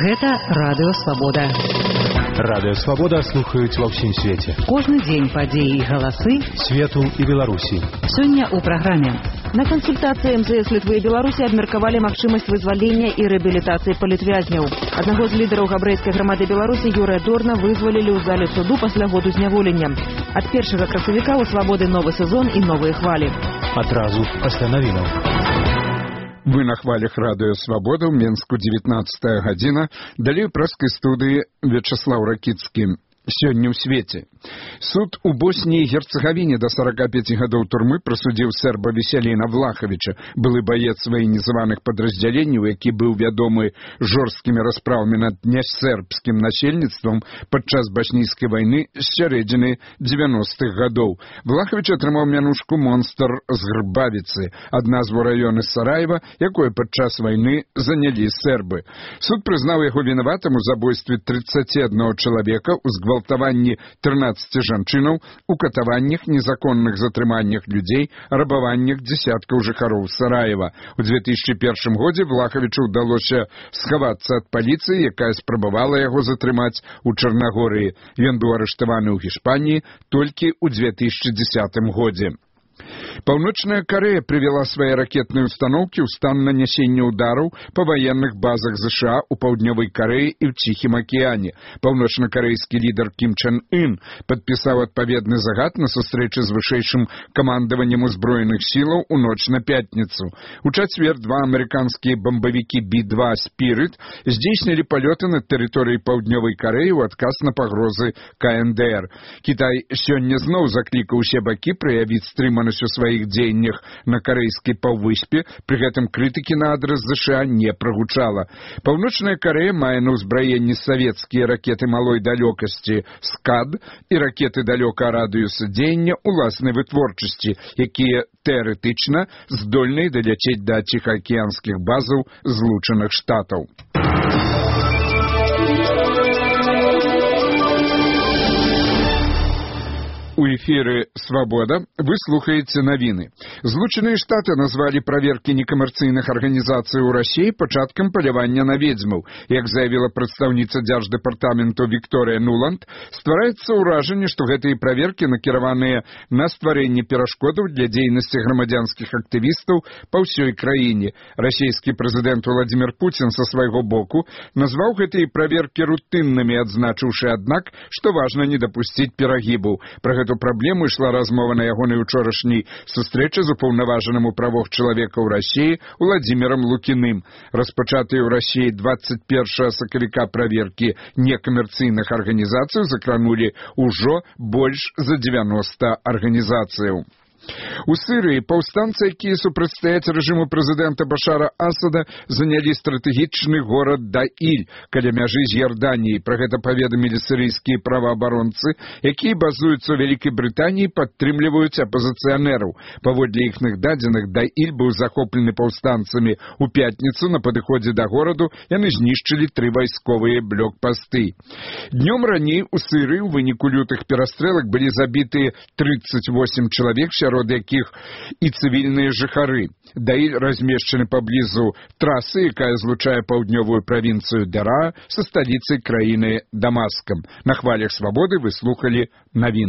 Гэта Радыё Свабода. Радыё Свабода слухаюць ва ўсім свеце. Кожны дзень падзеі і галасы свету і Беларусі. Сёння ў праграме. На кансультацыі МЗС Літвы і Беларусі абмеркавалі магчымасць вызвалення і рэабілітацыі палітвязняў. Аднаго з лідараў габрэйскай грамады Беларусі Юрыя Дорна вызвалілі ў зале суду пасля году зняволення. Ад 1 красавіка ў Свабоды новы сезон і новыя хвалі. Адразу пасля навінаў. Вы на хвалях Радыё Свабода, ў Менску 19 гадзіна, далей у прэскай студыі Вячаслаў Ракіцкі. Сёння ў свеце. Суд у Боснии и Герцеговине до 45 гадоў турмы прысудзіў серба Веселіна Влаховича, былы баец военизаваных подразделений, які быў вядомы жорсткімі расправамі над нясербскім насельніцтвам падчас баснійскай вайны з сярэдзіны 90-х гадоў. Влахович атрымаў мянушку «Монстр з Грбавіцы», ад назву раёна Сараева, якое падчас вайны занялі сербы. Суд прызнаў яго вінаватым у забойстве 31 чалавека, у згвалтаванні 13 жанчынаў, у катаваннях, незаконных затрыманнях людзей, рабаваннях дзесяткаў жыхароў Сараева. У 2001 годзе Влаховичу ўдалося схавацца ад паліцыі, якая спрабавала яго затрымаць у Чарнагорыі. Ён быў арыштаваны ў Гішпаніі толькі ў 2010 годзе. Паўночная Карэя прывяла свае ракетныя установкі ў стан нанясення ўдараў па ваенных базах США ў паўднёвай Карэі і ў Ціхім акіяне. Паўночна-карэйскі лідар Кім Чен Ын падпісаў адпаведны загад на сустрэчы з вышэйшым камандаваннем узброеных сілаў у ноч на пятніцу. У чацвер два амерыканскія бамбавікі B-2 «Спірыт» здзейснілі палёты над тэрыторыяй паўднёвай Карэі ў адказ на пагрозы КНДР. Кітай сёння зноў заклікаў усе бакі праявіць стрыманасць у сваіх дзеяннях на карэйскай паўвыспе, пры гэтым крытыкі на адрас ЗША не прагучала. Паўночная Карэя мае на ўзбраенні савецкія ракеты малой далёкасці «Скад» і ракеты далёкага радыуса дзеяння уласнай вытворчасці, якія тэарэтычна здольныя даляцець да ціхаакіянскіх базаў Злучаных Штатаў. У эфіры «Свабода» вы слухаеце навіны. Злучаныя Штаты назвалі праверкі некамерцыйных арганізацый у Расіі пачаткам палявання на ведзьмаў. Як заявіла прадстаўніца дзярждэпартаменту Вікторыя Нуланд, ствараецца ўражанне, што гэтыя праверкі накіраваныя на стварэнне перашкодаў для дзейнасці грамадзянскіх актывістаў па ўсёй краіне. Расійскі прэзідэнт Владзімір Пуцін са свайго боку назваў гэтыя праверкі рутыннымі, адзначыўшы, аднак, што важна не дапусціць перагібаў. Пра гэту праблему ішла размова на ягонай учорашняй сустрэчы з упаўнаважаным у правах чалавека ў Расіі Владзімірам Лукіным. Распачатыя ў Расіі 21 сакавіка праверкі некамерцыйных арганізацый закранулі ўжо больш за 90 арганізацыяў. У Сырыі паўстанцы, якія супрацьстаяць рэжыму прэзідэнта Башара Асада, занялі стратэгічны горад Даіль каля мяжы з Ярданіяй. Пра гэта паведамілі сырыйскія праваабаронцы, якія базуюцца ў Вялікай Брытаніі, падтрымліваюць апазіцыянераў. Паводле іхных дадзеных, Даіль быў захоплены паўстанцамі ў пятніцу. На падыходзе да гораду яны знішчылі 3 вайсковыя блокпасты. Днём раней у Сырыі ў выніку лютых перастрэлак былі забітыя 38 чалавек, сярод якіх і цывільныя жыхары. Даіль размешчаны паблізу трасы, якая злучае паўднёвую правінцыю Дара са сталіцай краіны Дамаскам. На хвалях Свабоды вы слухалі навіны.